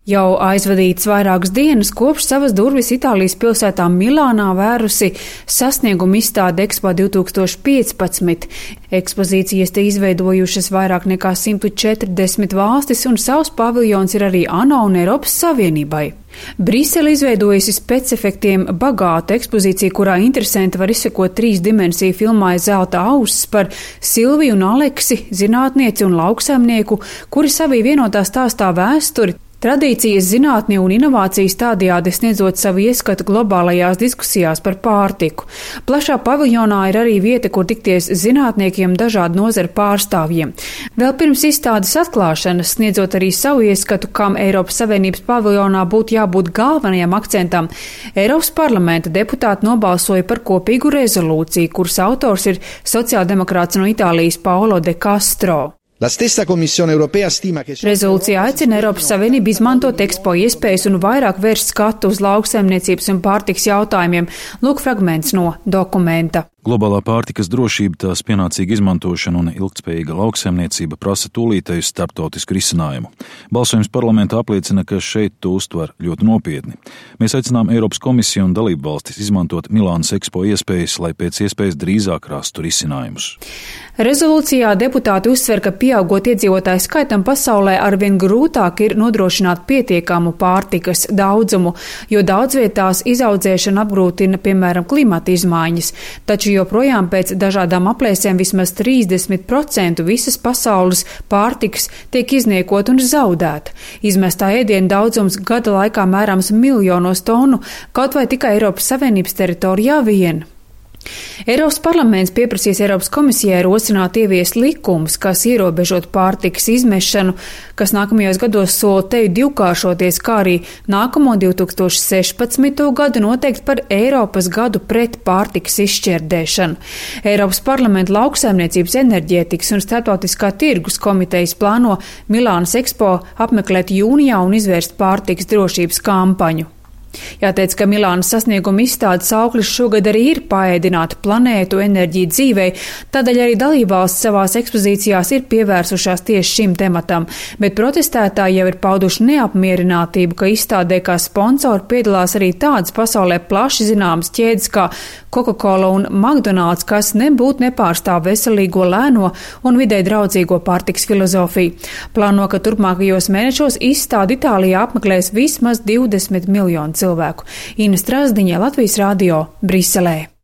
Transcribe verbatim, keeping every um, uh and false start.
Jau aizvadīts vairākas dienas, kopš savas durvis Itālijas pilsētā Milānā vērusi sasniegumu izstāde Expo divtūkstoš piecpadsmit. Ekspozīcijas te izveidojušas vairāk nekā simt četrdesmit valstis, un savs paviljons ir arī ANO un Eiropas Savienībai. Brisele izveidojusi specefektiem bagātu ekspozīciju, kurā interesanti var izsekot trīs dimensiju filmai Zelta auss par Silviju un Aleksi, zinātnieci un lauksaimnieku, kuri savī vienotā stāstā vēsturi, tradīcijas, zinātni un inovācijas tādējādi sniedzot savu ieskatu globālajās diskusijās par pārtiku. Plašā paviljonā ir arī vieta, kur tikties zinātniekiem dažādu nozaru pārstāvjiem. Vēl pirms izstādes atklāšanas, sniedzot arī savu ieskatu, kam Eiropas Savienības paviljonā būtu jābūt galvenajam akcentam, Eiropas parlamenta deputāti nobalsoja par kopīgu rezolūciju, kuras autors ir sociāldemokrāts no Itālijas Paolo de Castro. Rezolūcija aicina Eiropas Savienību izmantot Expo iespējas un vairāk vērst skatu uz lauksaimniecības un pārtiks jautājumiem. Lūk fragments no dokumenta. Globālā pārtikas drošība, tās pienācīga izmantošana un ilgtspējīga lauksaimniecība prasa tūlītēju starptautisku risinājumu. Balsojums parlamentā apliecina, ka šeit to uztver ļoti nopietni. Mēs aicinām Eiropas komisiju un dalību valstis izmantot Milānas Expo iespējas, lai pēc iespējas drīzāk rastu risinājumus. Rezolūcijā deputāti uzsver, ka pieaugot iedzīvotāju skaitam pasaulē arvien grūtāk ir nodrošināt pietiekamu pārtikas daudzumu, jo daudz vietās izaudzēšana apgrūtina, piemēram, klimata izmaiņas, taču joprojām pēc dažādām aplēsēm vismaz trīsdesmit procenti visas pasaules pārtikas tiek izniekot un zaudēta. Izmestā ēdienu daudzums gada laikā mērāms miljonos tonu, kaut vai tikai Eiropas Savienības teritorijā vien. Eiropas parlaments pieprasīs Eiropas komisijai rosināt ieviest likumus, kas ierobežot pārtikas izmešanu, kas nākamajos gados sola teju divkāršoties, kā arī nākamo divtūkstoš sešpadsmito gadu noteikt par Eiropas gadu pret pārtikas izšķērdēšanu. Eiropas parlamenta lauksaimniecības, enerģētikas un starptautiskā tirgus komitejas plāno Milānas Expo apmeklēt jūnijā un izvērst pārtikas drošības kampaņu. Jāteic, ka Milānas sasnieguma izstādes auklis šogad arī ir paēdināt planētu, enerģiju dzīvei, tādēļ arī dalībvalsts savās ekspozīcijās ir pievērsušās tieši šim tematam, bet protestētāji jau ir pauduši neapmierinātību, ka izstādē kā sponsori piedalās arī tādas pasaulē plaši zināmas ķēdes kā Coca-Cola un McDonald's, kas nebūtu nepārstāv veselīgo, lēno un vidē draudzīgo pārtiks filozofiju. Plāno, ka turpmākajos mēnešos izstādi Itālijā apmeklēs vismaz divdesmit miljonu cilvēku. Ina Strasdiņa, Latvijas radio, Briselē.